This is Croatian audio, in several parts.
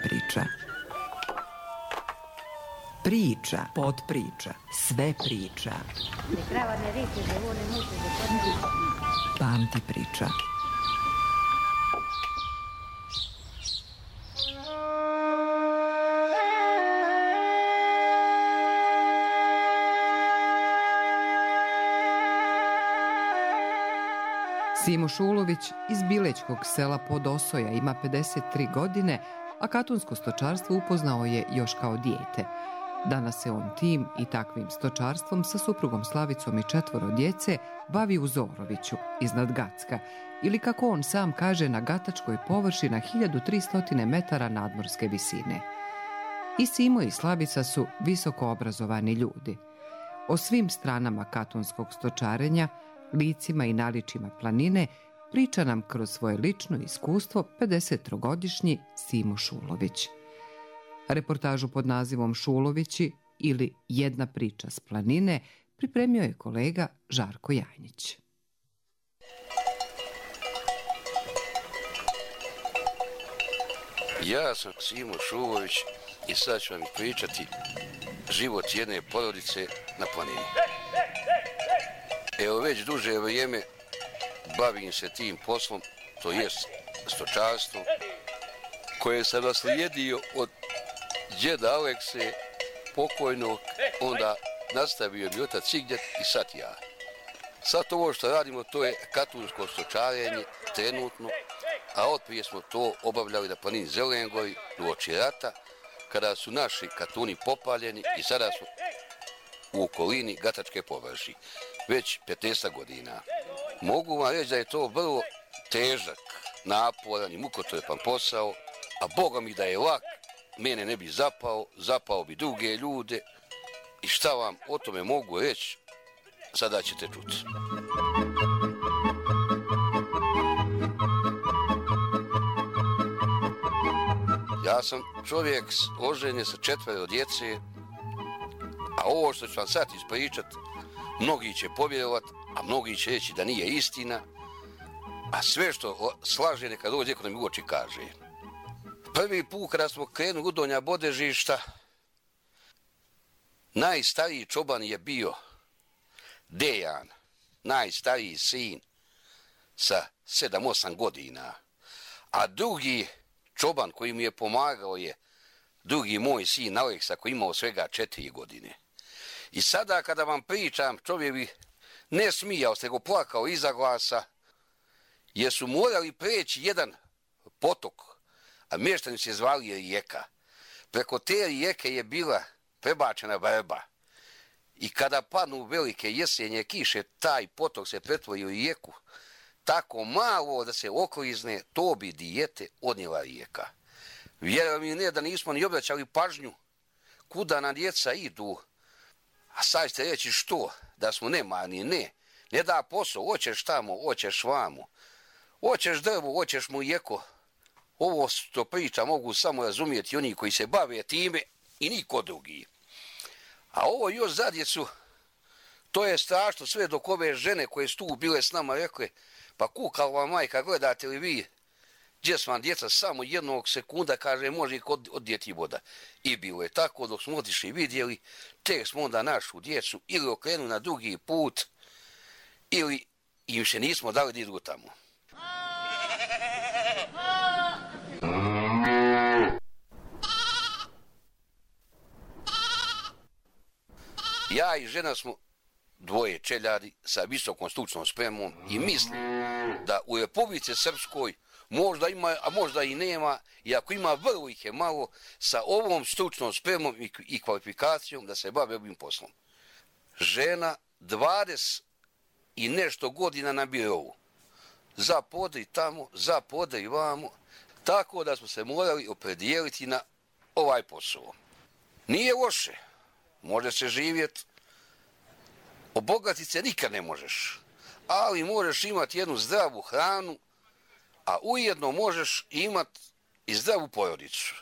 priča. Priča, podpriča, sve priča. Pamti priča. Simo Šulović iz Bilećkog sela Podosoja ima 53 godine, a katunsko stočarstvo upoznao je još kao dijete. Danas se on tim i takvim stočarstvom sa suprugom Slavicom i 4 djece bavi u Zoroviću, iznad Gacka, ili kako on sam kaže na gatačkoj površi na 1300 metara nadmorske visine. I Simo i Slavica su visoko obrazovani ljudi. O svim stranama katunskog stočarenja, licima i naličima planine, priča nam kroz svoje lično iskustvo 53-godišnji Simo Šulović. Reportažu pod nazivom Šulovići ili Jedna priča s planine pripremio je kolega Žarko Janjić. Ja sam Simo Šulović i sad ću vam pričati život jedne porodice na planini. Evo već duže vrijeme bavim se tim poslom, to jest stočarstvom, koje sam naslijedio od djeda Alekse, pokojnog, onda nastavio mi otac Sigdjet i sad ja. Sad ovo što radimo, to je katunsko stočarenje trenutno, a otprije smo to obavljali na planini Zelengori uoči rata, kada su naši katuni popaljeni i sada smo u okolini Gatačke površi, već 15 godina. Mogu vam reći da je to vrlo težak, naporan i mukotrpan posao, a Boga mi da je lak, mene ne bi zapao bi druge ljude i šta vam o tome mogu reći, sada ćete čuti. Ja sam čovjek oženjen sa 4 djece, a ovo što ću vam sad ispričat, mnogi će povjerovati, a mnogi će reći da nije istina, a sve što slaže neka dođe ko nam u oči kaže. Prvi put kada smo krenuli u Donja Bodežišta, najstariji čoban je bio Dejan, najstariji sin sa 7-8 godina, a drugi čoban koji mi je pomagao je drugi moj sin Aleksa koji imao svega 4 godine. I sada kada vam pričam, čovjek bi ne smijao se, nego plakao iza glasa, jer su morali preći jedan potok, a mještani se zvali rijeka. Preko te rijeke je bila prebačena vrba. I kada padnu velike jesenje kiše, taj potok se pretvori u rijeku. Tako malo da se oklizne, to bi dijete odnijela rijeka. Vjerujem mi ne da nismo ni obraćali pažnju kuda nam djeca idu. A sad ćete reći što? Da smo nemarni? Ne da posao, hoćeš tamo, hoćeš vamo. Hoćeš drvo, hoćeš mu jeko. Ovo što priča mogu samo razumjeti oni koji se bave time i niko drugi. A ovo još za djecu, to je strašno sve dok ove žene koje su tu bile s nama rekle, pa kukala majka, gledate li vi, gdje su vam djeca, samo jednog sekunda, kaže, može ih odjeti voda. I bilo je tako, dok smo otišli i vidjeli, tek smo onda našu djecu ili okrenuli na drugi put, ili im še nismo dali da idu tamo. Ja i žena smo dvoje čeljadi sa visokom stručnom spremom i mislim da u Republici Srpskoj možda ima, a možda i nema, i ako ima vrlo ih je malo, sa ovom stručnom spremom i kvalifikacijom da se bave ovim poslom. Žena 20 i nešto godina na birovu. Za podri tamo, za podri vamo, tako da smo se morali opredijeliti na ovaj posao. Nije loše, može se živjeti, obogatiti se nikad ne možeš, ali možeš imati jednu zdravu hranu, a ujedno možeš imati i zdravu porodicu.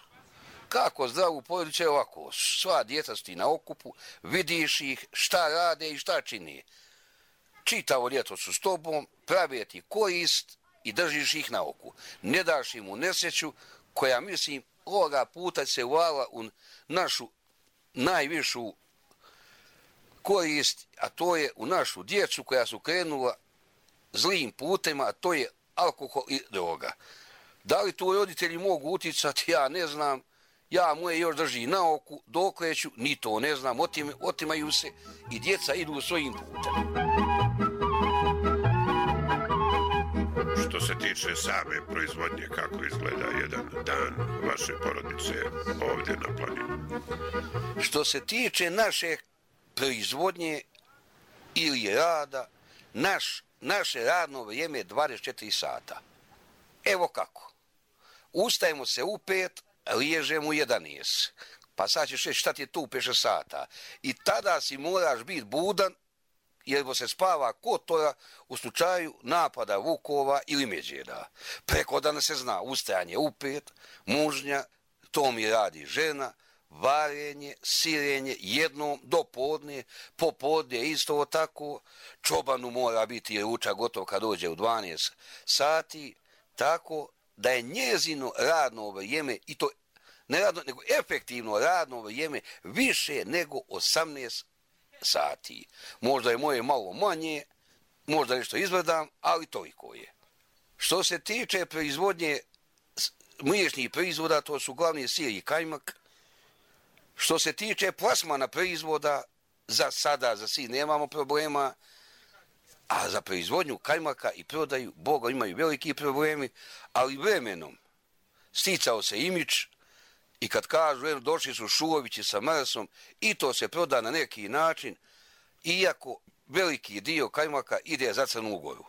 Kako zdravu porodicu je ovako, sva djeca su ti na okupu, vidiš ih šta rade i šta čini. Čitavo ljeto su s tobom, prave ti korist i držiš ih na oku. Ne daš im u nesreću koja, mislim, ovoga puta se uvala u našu najvišu korist, a to je u našu djecu koja su krenula zlim putima, a to je alkohol i droga. Da li tu roditelji mogu uticati, ja ne znam. Ja moje još drži na oku, dokleću, ni to ne znam, otimaju se i djeca idu svojim putem. Što se tiče same proizvodnje, kako izgleda jedan dan vaše porodice ovdje na planini? Što se tiče naše proizvodnje ili rada, naše radno vrijeme je 24 sata. Evo kako. Ustajemo se u 5, liježemo u 11. Pa sad ćeš reći šta ti je tu 5 sata. I tada si moraš biti budan jer se spava kotora u slučaju napada vukova ili medvjeda. Preko dana se zna ustajanje u 5, mužnja, to mi radi žena, varenje, sirenje jednom do podne, popodne isto tako, čobanu mora biti ručak gotov kad dođe u 12 sati, tako da je njezino radno vrijeme, i to ne radno, nego efektivno radno vrijeme više nego 18 sati. Možda je moje malo manje, možda nešto izvrdam, ali toliko je. Što se tiče proizvodnje mliječnih proizvoda, to su glavni sir i kajmak. Što se tiče plasmana proizvoda, za sada, za sir nemamo problema, a za proizvodnju kajmaka i prodaju, Boga, imaju veliki problemi, ali vremenom sticao se imidž i kad kažu, došli su Šulovići sa Marsom i to se proda na neki način, iako veliki dio kajmaka ide za Crnu Goru.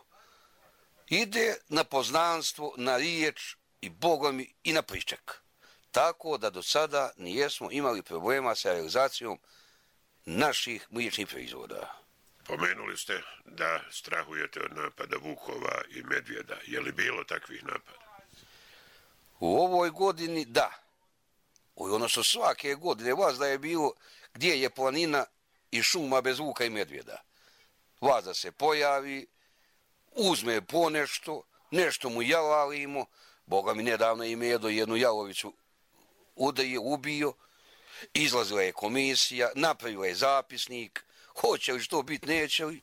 Ide na poznanstvo, na riječ i Boga mi i na pričak. Tako da do sada nijesmo imali problema sa realizacijom naših mliječnih proizvoda. Pomenuli ste da strahujete od napada vukova i medvjeda. Je li bilo takvih napada? U ovoj godini da. Odnosno svake godine vas da je bilo gdje je planina i šuma bez vuka i medvjeda. Vas da se pojavi, uzme ponešto, nešto mu jalalimo. Boga mi nedavno je Medo jednu jalovicu ubio, izlazila je komisija, napravila je zapisnik, hoće li što biti, neće li,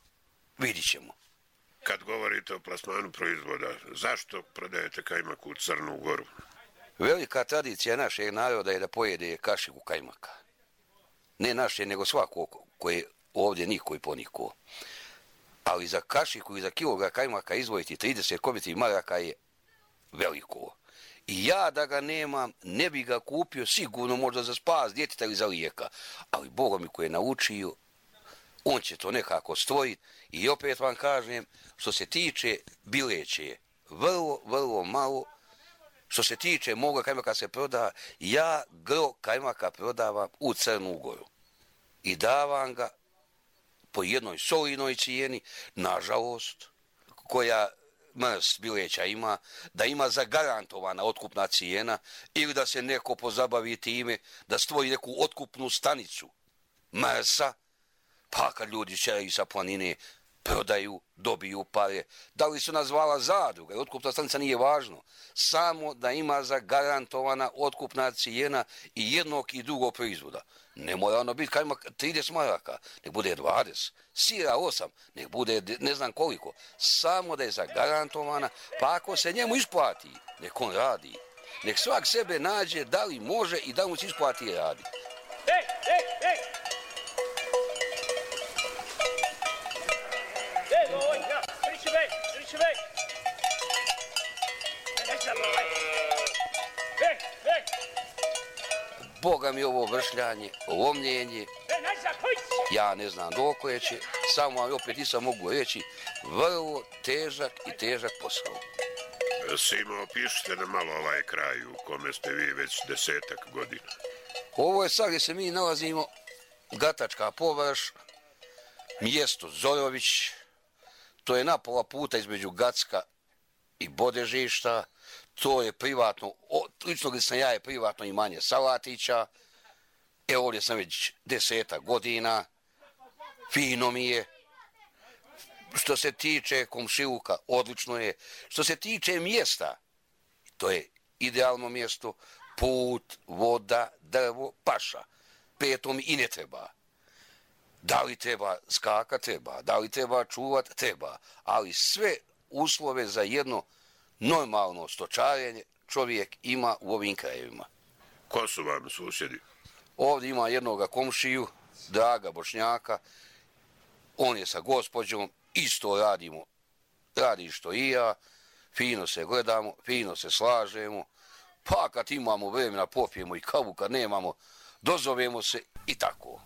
vidit ćemo. Kad govorite o plasmanu proizvoda, zašto prodajete kajmak u Crnu Goru? Velika tradicija našeg naroda je da pojede kašiku kajmaka. Ne naše, nego svako koje ovdje niko i poniko. Ali za kašiku i za kilogram kajmaka izvojiti 30 kobiti maraka je veliko. I ja da ga nemam, ne bi ga kupio sigurno možda za spas djeteta ili za lijeka. Ali Boga mi koji je naučio, on će to nekako stvoriti. I opet vam kažem, što se tiče bileće, vrlo malo. Što se tiče moga kajmaka se proda, ja gro kajmaka prodavam u Crnu Goru. I davam ga po jednoj solidnoj cijeni, nažalost, koja Mrs. bileća ima, da ima zagarantovana otkupna cijena ili da se neko pozabavi time da stvori neku otkupnu stanicu Mrs.-a, pa kad ljudi šeraju sa planine prodaju, dobiju pare. Da li su nazvala zadruga, otkupna stanica nije važno. Samo da ima zagarantovana otkupna cijena i jednog i drugog proizvoda. Ne mora ono biti kajmak 30 maraka, nek bude 20, sira 8, nek bude ne znam koliko. Samo da je zagarantovana, pa ako se njemu isplati, nek on radi. Nek svak sebe nađe da li može i da mu se isplati i radi. Ej! Boga mi ovo vršljanje, lomljenje, ja ne znam dokle će, samo vam opet nisam mogu reći, vrlo težak posao. Simo, opišite nam malo ovaj kraj u kome ste vi već 10 godina. Ovo je sad gdje se mi nalazimo, Gatačka površ, mjesto Zorović, to je na pola puta između Gacka i Bodežišta, to je privatno, lično gdje sam ja je privatno imanje Salatića, ovdje sam već 10 godina, fino mi je. Što se tiče komšiluka, odlično je. Što se tiče mjesta, to je idealno mjesto, put, voda, drvo, paša. Petom i ne treba. Da li treba skaka? Treba. Da li treba čuvat? Treba. Ali sve uslove za jedno normalno stočarenje čovjek ima u ovim krajevima. Ko su vam susjedi? Ovdje ima jednoga komšiju, Draga Bošnjaka. On je sa gospođom, isto radimo. Radi što i ja, fino se gledamo, fino se slažemo. Pa kad imamo vremena popijemo i kavu, kad nemamo, dozovemo se i tako.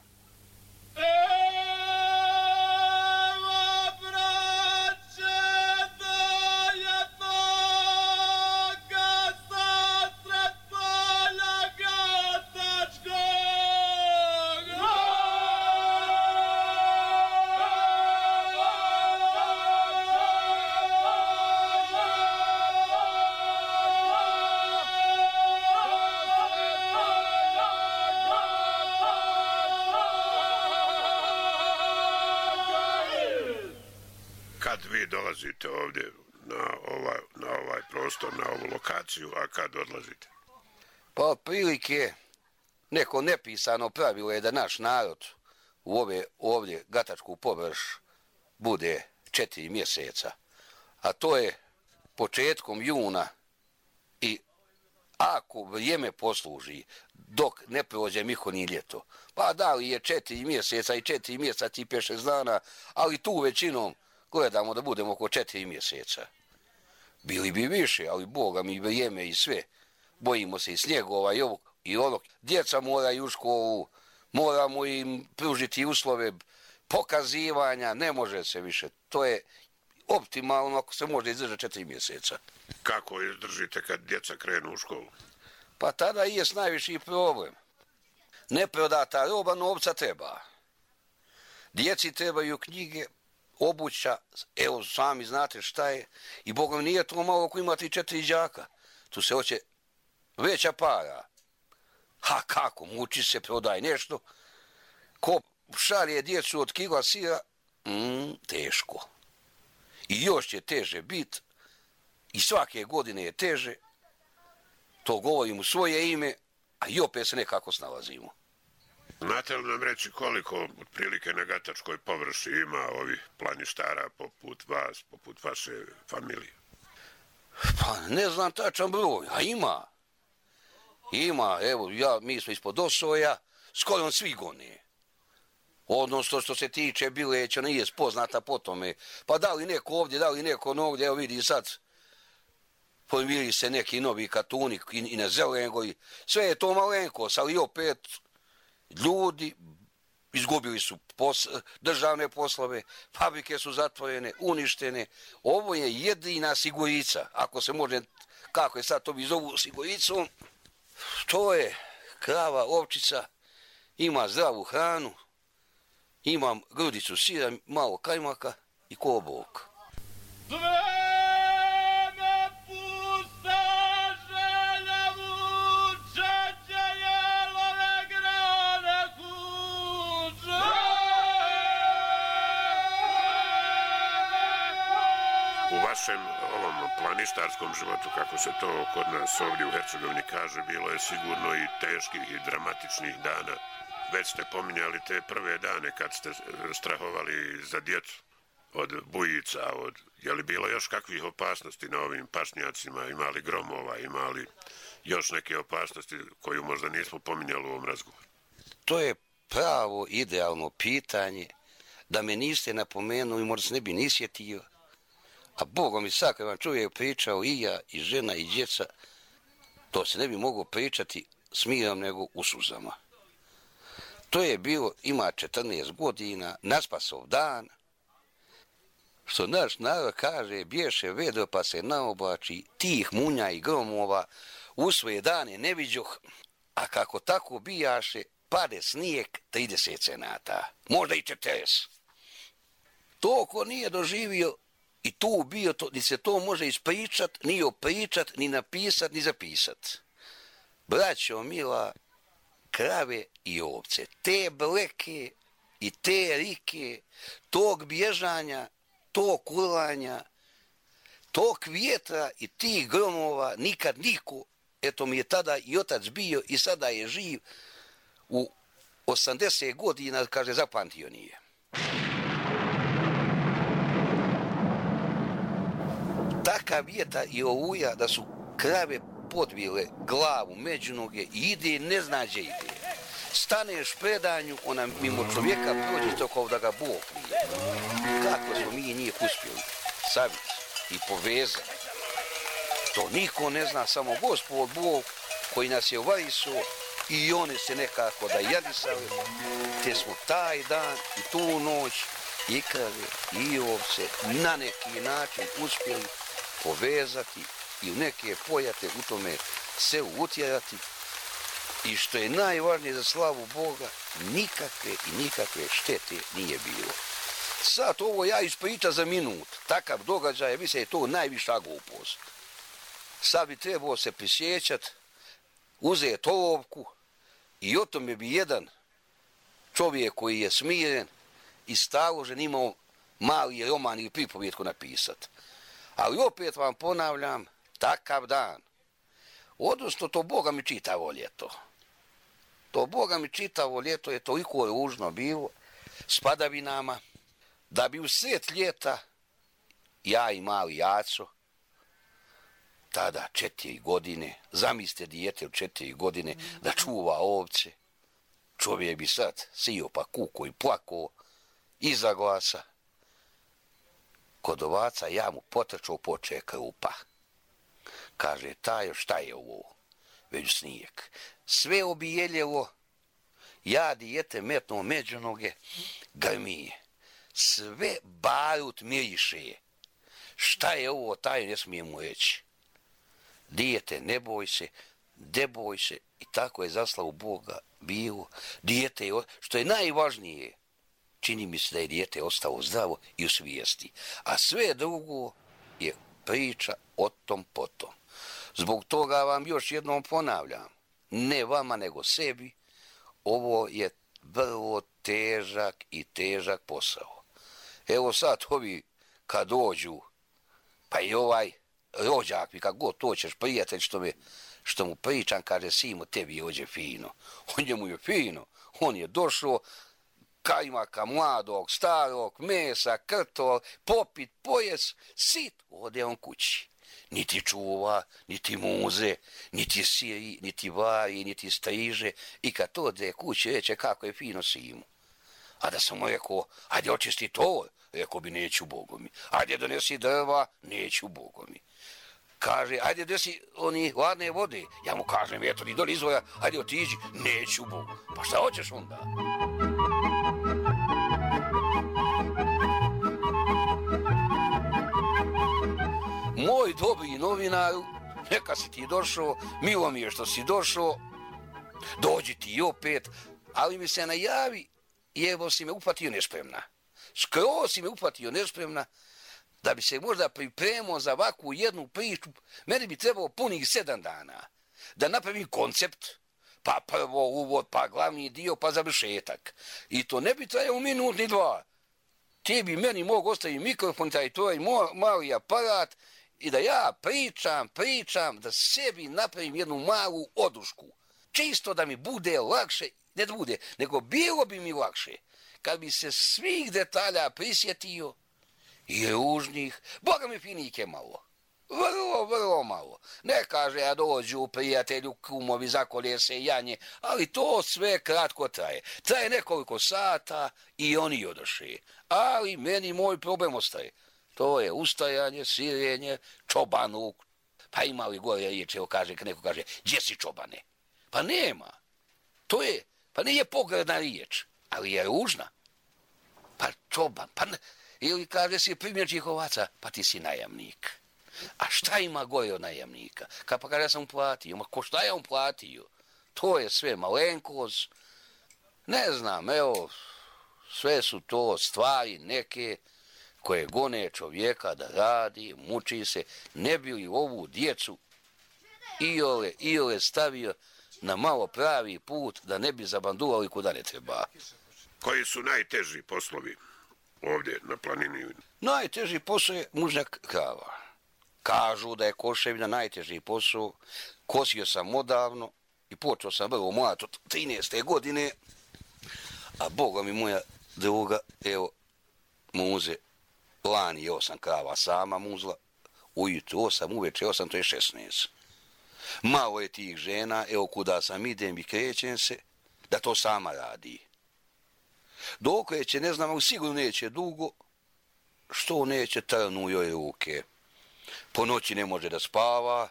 Kad vi dolazite ovdje na ovaj prostor, na ovu lokaciju, a kad odlazite? Pa otprilike neko nepisano pravilo je da naš narod u ovdje Gatačku površ bude 4 mjeseca. A to je početkom juna i ako vrijeme posluži dok ne prođe Miho ni ljeto. Pa da li je 4 mjeseca i 4 mjeseca i 5-6 dana, ali tu većinom gledamo da budemo oko 4 mjeseca. Bili bi više, ali Boga mi vrijeme i sve. Bojimo se i snjegova i ovog. Djeca moraju u školu, moramo im pružiti uslove pokazivanja, ne može se više. To je optimalno ako se može izdržati 4 mjeseca. Kako izdržite kad djeca krenu u školu? Pa tada i je najviši problem. Neprodata roba, novca treba. Djeci trebaju knjige, obuća, evo sami znate šta je. I Bogom nije to malo ako imate 4 đaka. Tu se hoće veća para. Ha kako, muči se, prodaj nešto. Ko šalje djecu od kila sira, teško. I još će teže biti. I svake godine je teže. To govorim u svoje ime, a i opet se nekako snalazimo. Znate li nam reći koliko otprilike na Gatačkoj površi ima ovih planištara poput vas, poput vaše familije? Pa ne znam tačan broj, a ima. Ima, evo, mi smo ispod Osoja, skoro svi gone. Odnosno što se tiče Bileća nije spoznata po tome. Pa da li neko ovdje, da li neko ovdje, evo vidi sad, pojavili se neki novi katuni i na Zelengoj. Sve je to malenkost, ali opet ljudi izgubili su državne poslove, fabrike su zatvorene, uništene. Ovo je jedina sigurica, ako se može, kako je sad to bi zovu siguricom, to je krava, ovčica, ima zdravu hranu, imam grudicu sira, malo kajmaka i kobok. U vašem ovom planištarskom životu, kako se to kod nas ovdje u Hercegovini kaže, bilo je sigurno i teških i dramatičnih dana. Već ste pominjali te prve dane kad ste strahovali za djecu od bujica, je li bilo još kakvih opasnosti na ovim pašnjacima, imali gromova, imali još neke opasnosti koju možda nismo pominjali u ovom razgovoru? To je pravo idealno pitanje, da me niste napomenuli, možda se ne bi ni sjetio. A Bogom i sad kad vam čovjek pričao i ja, i žena, i djeca, to se ne bi moglo pričati s mirom nego u suzama. To je bilo, ima 14 godina, naspasov dan, što naš narod kaže, bješe vedro pa se naoblači, tih munja i gromova, u svoje dane ne viđoh, a kako tako bijaše, pade snijeg 30 cenata, možda i 40. To ko nije doživio i tu bio, ni se to može ispričat, ni opričat, ni napisat, ni zapisat. Braćo mila, krave i ovce, te bleke i te rike, tog bježanja, tog kulanja, tog vjetra i tih gromova nikad niko eto mi je tada i otac bio i sada je živ u 80 godina, kaže, zapamtio nije. Takav vjetar i oluja da su krave podvile glavu među noge i ide, ne zna gdje ide. Staneš predanju, ona mimo čovjeka prođe to kao da ga Bog nije. Kako smo mi njih uspjeli saviti i povezati? To niko ne zna, samo Gospod Bog koji nas je uvariso i one se nekako da jadisali, te smo taj dan i tu noć i krave i ovce na neki način uspjeli povezati i u neke pojate u tome selu utjerati. I što je najvažnije za slavu Boga, nikakve štete nije bilo. Sad ovo ja ispričam za minut, takav događaj, mislim je to najviša glupost. Sad bi trebao se prisjećati, uzeti olovku i o tome bi jedan čovjek koji je smiren i staložen imao mali roman ili pripovjetku napisati. Ali opet vam ponavljam, takav dan, odnosno to Boga mi čitavo ljeto. To Boga mi čitavo ljeto je toliko ružno bilo s padavinama, da bi u sred ljeta ja i mali Jaco, tada 4 godine, zamislite dijete od 4 godine da čuva ovce, čovjek bi sad sio pa kuko i plako iza glasa. Kod ovaca ja mu potrčao poče krupa. Kaže, Tajo, šta je ovo? Već snijeg. Sve obijeljelo, ja dijete metno među noge, grmije. Sve barut miriše. Šta je ovo, Tajo, ne smije mu reći. Dijete, ne boj se, i tako je za slavu Boga bilo. Dijete, što je najvažnije, čini mi se da je dijete ostalo zdravo i u svijesti. A sve drugo je priča o tom potom. Zbog toga vam još jednom ponavljam, ne vama nego sebi, ovo je vrlo težak posao. Evo sad ovi kad dođu, pa i ovaj rođak mi, kako god to ćeš prijatelj što mu pričam, kaže, Simo, tebi je ođe fino. On njemu je fino, on je došao, kajmaka mladog, starog, mesa, krtol, popit, pojes, sit, ode on kući. Niti čuva, niti muze, niti siri, niti vari, niti striže. I kad to ode kući, reče kako je fino Simu. A da sam mu rekao, ajde očisti to, rekao bi, neću Bogu mi. Ajde donesi drva, neću Bogu mi. Kaže, ajde desi oni hladne vode. Ja mu kažem, eto, ni doli izvora, ajde otiđi, neću Bogu. Pa šta hoćeš onda? Moj dobri novinaru, neka si ti došao, milo mi je što si došao, dođi ti opet, ali mi se najavi, jer si me upatio nespremna. Skroz si me upatio nespremna, da bi se možda pripremao za ovakvu jednu priču, meni bi trebalo punih 7 dana. Da napravim koncept, pa prvo uvod, pa glavni dio, pa završetak. I to ne bi trajalo minut ni 2. Ti bi meni mogu ostaviti mikrofon, taj tvoj mali aparat, i da ja pričam, da sebi napravim jednu malu odušku. Čisto da mi bude lakše, ne da bude, nego bilo bi mi lakše, kad bi se svih detalja prisjetio, i ružnih, Boga mi finike malo. Vrlo malo. Ne kaže, ja dođu prijatelju, kumovi, zakolje se janje, ali to sve kratko traje. Traje nekoliko sata i oni odoše. Ali meni moj problem ostaje. To je ustajanje, sirenje, čobanuk. Pa ima li gore riječ, evo kaže, neko kaže, gdje si čobane? Pa nema. Pa nije pogredna riječ, ali je ružna. Pa čoban, pa ne. Ili kaže si primjerčih ovaca, pa ti si najamnik. A šta ima gore od najamnika? Pa kaže, ja sam uplatio. Ma ko šta ja uplatio? To je sve malenkost. Ne znam, evo, sve su to stvari neke koje gone čovjeka da radi, muči se, ne bi li ovu djecu iole stavio na malo pravi put, da ne bi zabanduvali kuda ne treba. Koji su najteži poslovi ovdje na planini? Najteži posao je mužnjak krava. Kažu da je koševina najteži posao. Kosio sam odavno i počeo sam vrlo mlad od 13. godine. A Boga mi moja druga, evo, muze, lani je 8 krava sama muzla, ujutru 8, uveče 8, to je 16. Malo je tih žena, evo kuda sam idem i krećem se, da to sama radi. Dok će, ne znam, ali sigurno neće dugo, što neće trnu joj ruke. Po noći ne može da spava,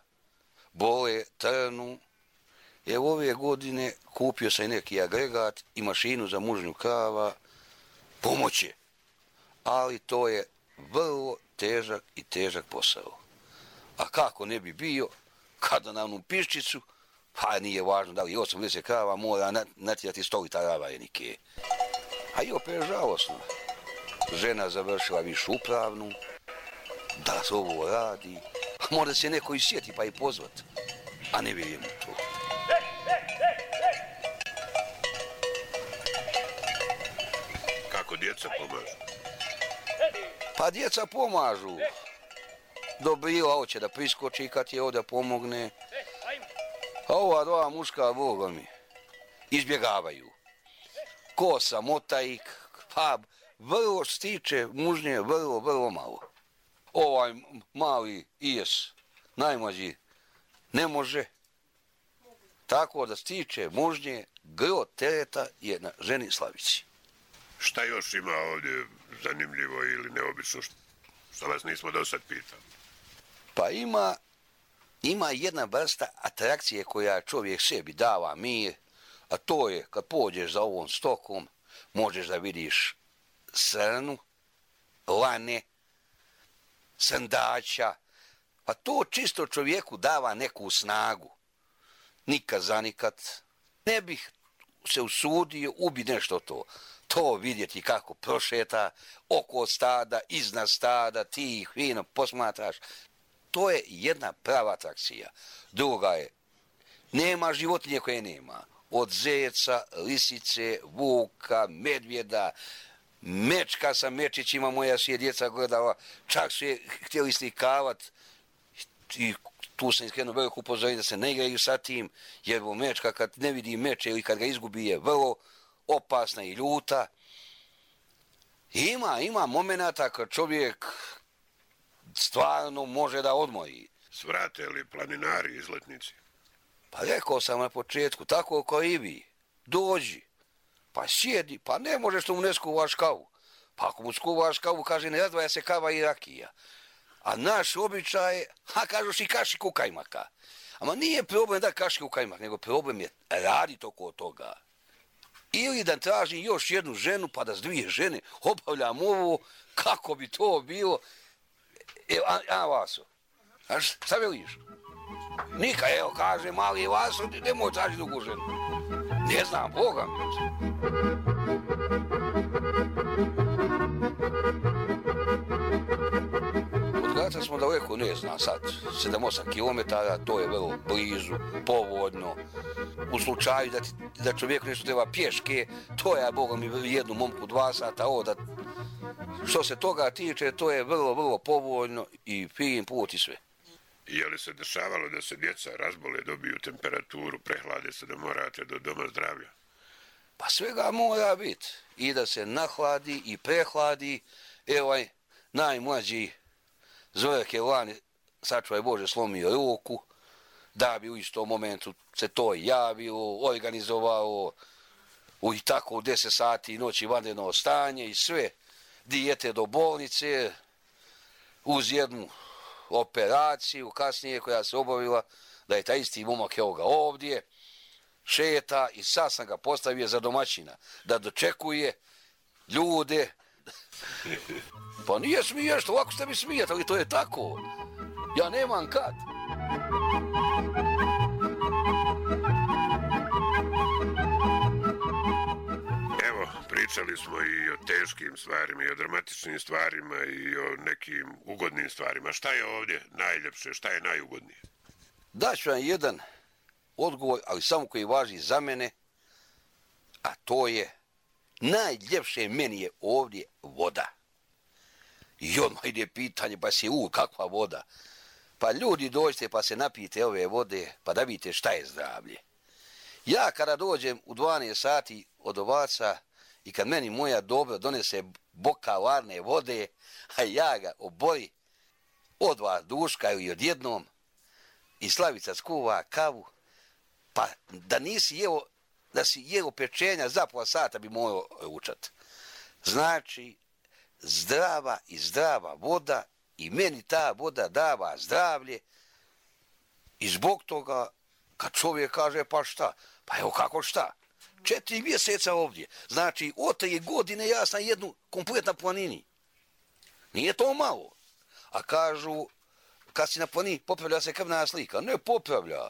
bole, trnu. Evo ove godine kupio sam neki agregat i mašinu za mužnju krava, pomoće. Ali to je vrlo težak posao. A kako ne bi bio, kada na onu piščicu, pa nije važno da li je 80 krava, mora natjerati 100 litara varenike. A i opet žalosno. Žena završila višu upravnu, da se ovo radi, a mora se neko i sjeti pa i pozvat, a ne vjerujem u to. Kako djeca pomažu? Pa djeca pomažu. Dobrila hoće da priskoči kad je ovdje pomogne. A ova dva muška, Boga mi, izbjegavaju. Kosa, motajik, pa vrlo stiče mužnje, vrlo malo. Ovaj mali Ijes, najmlađi, ne može. Tako da stiče mužnje, gro tereta je na ženi Slavici. Šta još ima ovdje zanimljivo ili neobično što vas nismo do sad pitali? Pa ima jedna vrsta atrakcije koja čovjek sebi dava mir, a to je kad pođeš za ovom stokom, možeš da vidiš srnu, lane, srndaća, pa to čisto čovjeku dava neku snagu. Nikad zanikad ne bih se usudio ubiti nešto to. To vidjeti kako prošeta oko stada, iznad stada, ti ih fino posmatraš. To je jedna prava atrakcija. Druga je, nema životinje koje nema. Od zeca, lisice, vuka, medvjeda, mečka sa mečićima, moja si je djeca gledala, čak su je htjeli slikavat i tu sam iskrenuo veliko upozorenje da se ne igraju sa tim, jer mečka kad ne vidi meče ili kad ga izgubi je vrlo opasna i ljuta. Ima momenata kad čovjek stvarno može da odmori. Svrate li planinari izletnici? Pa rekao sam na početku, tako kao i vi. Dođi, pa sjedi, pa ne možeš što mu ne skuvaš kavu. Pa ako mu skuvaš kavu, kaže ne razdvaja se kava i rakija. A naš običaj je, kažeš i kašiku kajmaka. Ama nije problem da kašiku kajmak, nego problem je raditi oko toga. Ili da tražim još jednu ženu, pa da s dvije žene obavljam ovo, kako bi to bilo. Evo, Vaso, šta veliš? Nika, evo, kaže mali Vaso, nemoj tražiti drugu ženu. Ne znam, Boga mi. Od Graca smo daleko, ne znam sad, 7-8 km, to je vrlo blizu, povodno. U slučaju da čovjeku nešto treba pješke, to je, Boga mi, jednu momku 2 sata, ovo da... Što se toga tiče, to je vrlo povoljno i fin put i sve. Je li se dešavalo da se djeca razbole, dobiju temperaturu, prehlade se da morate do doma zdravlja? Pa svega mora biti. I da se nahladi i prehladi. Evo najmlađi Zorek je lani, sačuvaj Bože, slomio ruku, da bi u istom momentu se to javilo, organizovalo i tako u 10 sati noći vanredno stanje i sve. Dijete do bolnice uz jednu operaciju kasnije koja se obavila, da je taj isti momak evo ga ovdje, šeta i sad sam ga postavio za domaćina, da dočekuje ljude. Pa nije smiješno, ovako ste mi smijete, ali to je tako. Ja nemam kad. Evo, pričali smo i o teškim stvarima, i o dramatičnim stvarima, i o nekim ugodnim stvarima. Šta je ovdje najljepše, šta je najugodnije? Daću vam jedan odgovor, ali samo koji važi za mene, a to je najljepše meni je ovdje voda. I odmah ide pitanje, pa si kakva voda? Pa ljudi dođite pa se napijete ove vode, pa da vidite šta je zdravlje. Ja kada dođem u 12 sati od ovaca i kad meni moja dobra donese bokal varne vode, a ja ga obori od vas duškaju i odjednom, i Slavica skuva kavu, pa da nisi jeo, da si jeo pečenja za pola sata bi morao ručat. Znači, zdrava voda i meni ta voda dava zdravlje i zbog toga kad čovjek kaže pa šta, pa evo kako šta, 4 mjeseca ovdje, znači od 3 godine ja sam jednu kompletna planini. Nije to malo. A kažu, kad si na planini popravlja se krvna slika. Ne popravlja.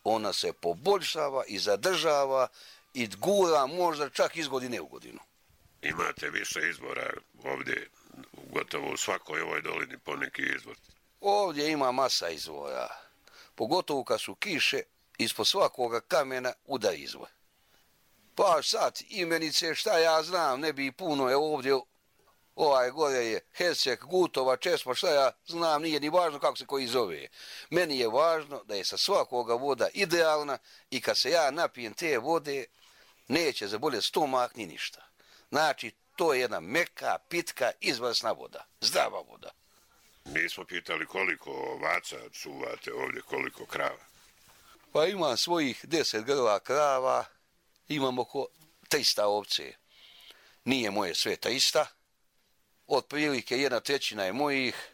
Ona se poboljšava i zadržava i gura možda čak iz godine u godinu. Imate više izvora ovdje, gotovo u svakoj ovoj dolini poneki izvor. Ovdje ima masa izvora. Pogotovo kad su kiše, ispod svakoga kamena udar izvor. Pa sad, imenice, šta ja znam, ne bi puno, evo ovdje, gore je Hesek, Gutova, Česma, šta ja znam, nije ni važno kako se koji zove. Meni je važno da je sa svakoga voda idealna i kad se ja napijem te vode, neće zaboljeti stomak ni ništa. Znači, to je jedna meka, pitka, izvrsna voda, zdrava voda. Nismo pitali koliko ovaca čuvate ovdje, koliko krava. Pa imam svojih 10 grla krava, imam oko 300 ovce. Nije moje sve 300, otprilike 1/3 je mojih,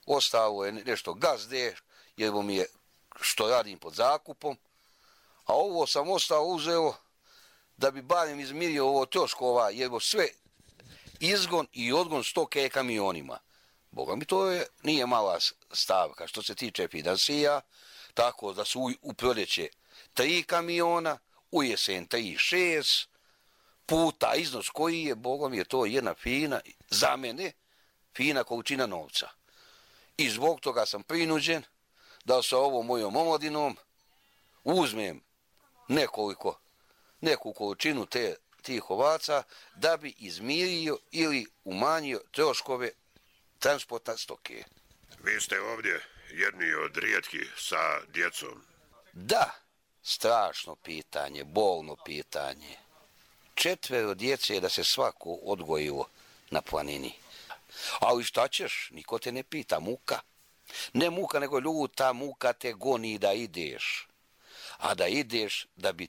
ostalo je nešto gazde, jer mi je što radim pod zakupom, a ovo sam ostao uzeo da bi barem izmirio ovo troškova, jer sve izgon i odgon stoke kamionima. Boga mi to nije mala stavka što se tiče finansija, tako da su u proljeće 3 kamiona, u jesen 3-6, puta iznos koji je, Boga mi je to jedna fina, za mene, fina količina novca. I zbog toga sam prinuđen da sa ovom mojom omladinom uzmem neku količinu tih ovaca da bi izmirio ili umanjio troškove transporta stoke. Vi ste ovdje jedni od rijetkih sa djecom. Da, strašno pitanje, bolno pitanje. 4 djece da se svako odgojilo na planini. Ali šta ćeš, niko te ne pita, muka. Ne muka, nego ljuta muka te goni da ideš. A da ideš da bi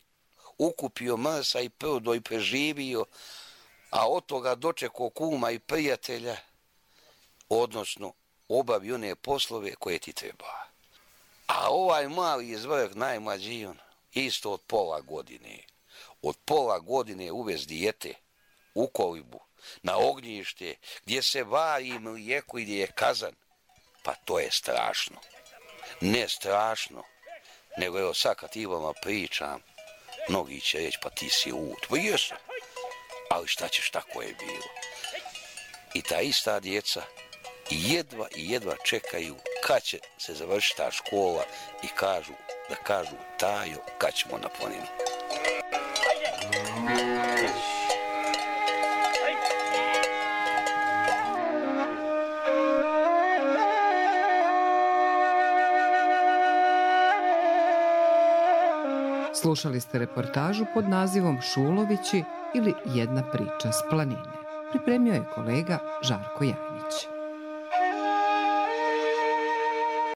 ukupio mrsa i prdo i preživio, a od toga dočekao kuma i prijatelja, odnosno obavi one poslove koje ti treba. A ovaj mali izvrh, najmlađi on, isto od pola godine. Od pola godine uvez dijete u kolibu, na ognjište, gdje se vari mlijeko i gdje je kazan. Pa to je strašno. Ne strašno, nego evo sad kad ti vama pričam, mnogi će reći pa ti si lud. Pa jesam, ali šta ćeš, tako je bilo. I ta ista djeca jedva čekaju kad će se završiti ta škola i da kažu Tajo, kad ćemo na planinu. Slušali ste reportažu pod nazivom Šulovići ili jedna priča s planine. Pripremio je kolega Žarko Janjić.